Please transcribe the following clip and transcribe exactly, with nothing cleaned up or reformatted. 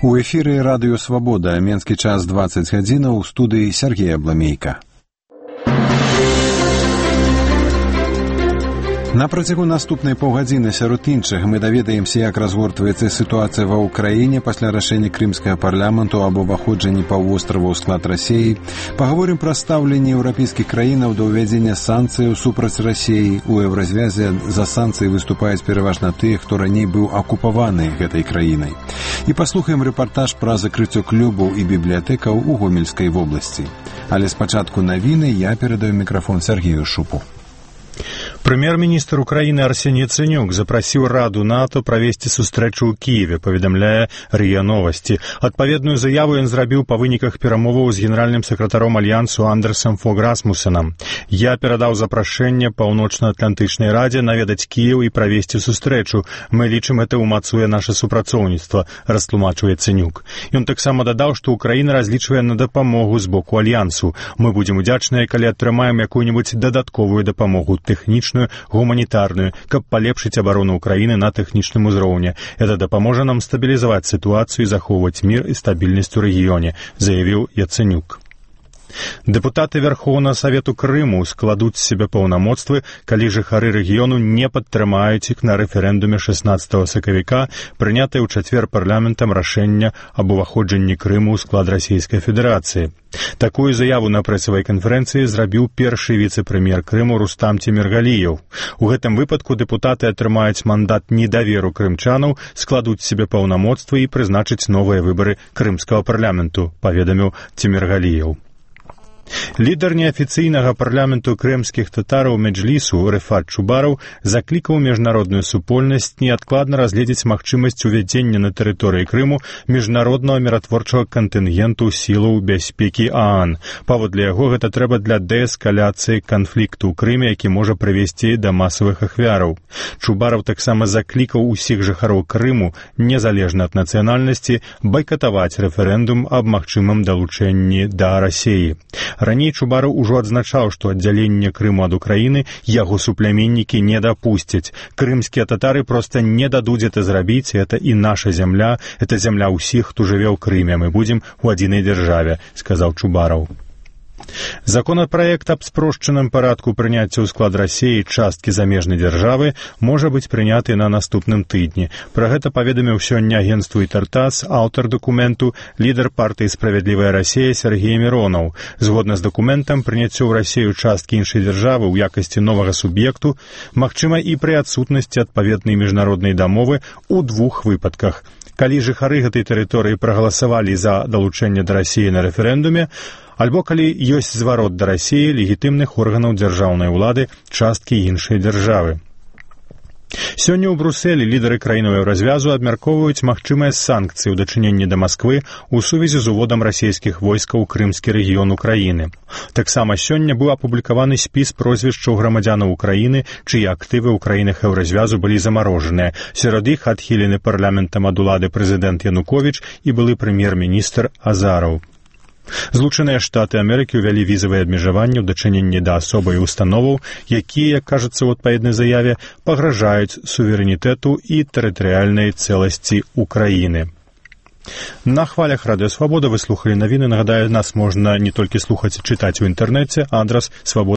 У эфіры радыё «Свабода», менскі час дваццаць гадзінаў, у студыі Сергей Абламейка. На працягу наступнай паўгадзіны сярод іншых мы даведаемся, як разгортваецца сітуацыя ва ўкраіне пасля рашэння крымскага парламенту аб уваходжанні паўвострава ў склад Расіі. Пагаворым пра стаўленне еўрапейскіх краінаў да ўвядзення санкцыяў супраць Расіі. У еўразвязе за санкцыі выступаюць пераважна тыя, хто раней быў акупаваны гэтай краінай. І паслухаем рэпартаж пра закрыццё клубаў і бібліятэкаў у Гомельскай вобласці. Але спачатку навіны я перадаю мікрафон Сергею Шупу. Прэм'ер-міністр Украіны Арсеній Яцэнюк запрасіў Раду НАТО правесці сустрэчу ў Кіеве, паведамляе РИА Новости. Адпаведную заяву ён зрабіў па выніках перамоваў з генеральным сакратаром Альянсу Андерсом Фог Расмусенам. Я перадаў запрашэнне Паўночна-Атлантычнай Радзе наведаць Кіеў і правесці сустрэчу. Мы лічым, гэта ўмацуе наша супрацоўніцтва, растлумачыў Яцэнюк. Ён таксама дадаў, што Украіна разлічвае на дапамогу з боку Альянсу. Мы будзем удзячныя, калі атрымаем якую-нибудь дадатковую дапамогу, тэхнічную, гуманітарную, каб палепшыць абарону Украіны на тэхнічным узроўні. Это дапаможа нам стабілізаваць сітуацыю і захоўваць мір і стабільнасць у рэгіёне, заявіў Яцэнюк. Дэпутаты Верхоўнага Савету Крыму складуць з сябе паўнамоцтвы, калі жыхары рэгіёну не падтрымаюць іх на рэферэндуме шаснаццатага сакавіка, прынятае ў чацвер парламентам рашэння аб уваходжанні Крыму ў склад Расійскай Федэрацыі. Такую заяву на прэсавай канферэнцыі зрабіў першы віцэ-прэм'ер Крыму Рустам Тимиргалиев. У гэтым выпадку дэпутаты атрымаюць мандат недаверу крымчанаў, складуць з сябе паўнамоцтвы і прызначыць новыя выбары крымскага парламенту, паведаміў Тимиргалиев. Лідар неафіцыйнага парламенту крымскіх татараў Меджлісу Рефат Чубараў заклікаў міжнародную супольнасць неадкладна разгледзець магчымасць увядзення на тэрыторыі Крыму міжнароднага міратворчага кантынгенту сілаў бяспекі ААН. Паводле яго, гэта трэба для дээскаляцыі канфлікту ў Крыме, які можа прывесці да масавых ахвяраў. Чубараў таксама заклікаў усіх жыхароў Крыму, незалежна ад нацыянальнасці, байкатаваць рэферэндум аб магчымым далучэнні да Расіі. Раней Чубараў ужо адзначаў, што аддзяленне Крыму ад Украіны яго супляменнікі не дапусцяць. Крымскія татары проста не дадуць это зрабіць, это і наша зямля, это зямля ўсіх, хто жыве ў Крыме, мы будзем у адзінай дзяржаве, сказаў Чубараў. Законапраект аб спрошчаным парадку прыняцця ў склад Расіі часткі замежнай дзяржавы можа быць прыняты на наступным тыдні. Пра гэта паведаміў сёння агенцтву «Ітартас» аўтар дакументу, лідар партыі «Справядлівая Расія» Сергей Миронов. Згодна з дакументам, прыняццё ў Расію часткі іншай дзяржавы ў якасці новага суб'екту магчыма і пры адсутнасці адпаведнай міжнароднай дамовы ў двух выпадках. Калі жыхары гэтай тэрыторыі прагаласавалі за далучэнне да Расіі на рэферэндуме, альбо калі ёсць зварот да Расіі легітымных органаў дзяржаўнай улады часткі іншай дзяржавы. Сёння ў Брусэлі лідары краінаў еўразвязу абмяркоўваюць магчымыя санкцыі ў дачыненні да Масквы ў сувязі з уводам расійскіх войскаў у крымскі рэгіён Украіны. Таксама сёння быў апублікаваны спіс прозвішчаў грамадзянаў Украіны, чыя актывы ў краінах еўразвязу былі замарожаныя. Сярод іх адхілены парламентам ад улады прэзідэнт Януковіч і былы прэм'ер-міністр Азараў. Злучаныя Штаты Амерыкі ўвялі візавыя абмежаванні ў дачыненні да асобаў і установаў, якія, як кажацца ў адпаведнай заяве, пагражаюць суверэнітэту і тэрытарыяльнай цэласці Украіны. На хвалях Радыё Свабода вы слухалі навіны. Нагадаю, нас можна не толькі слухаць і чытаць у інтэрнэце, адрас свабода.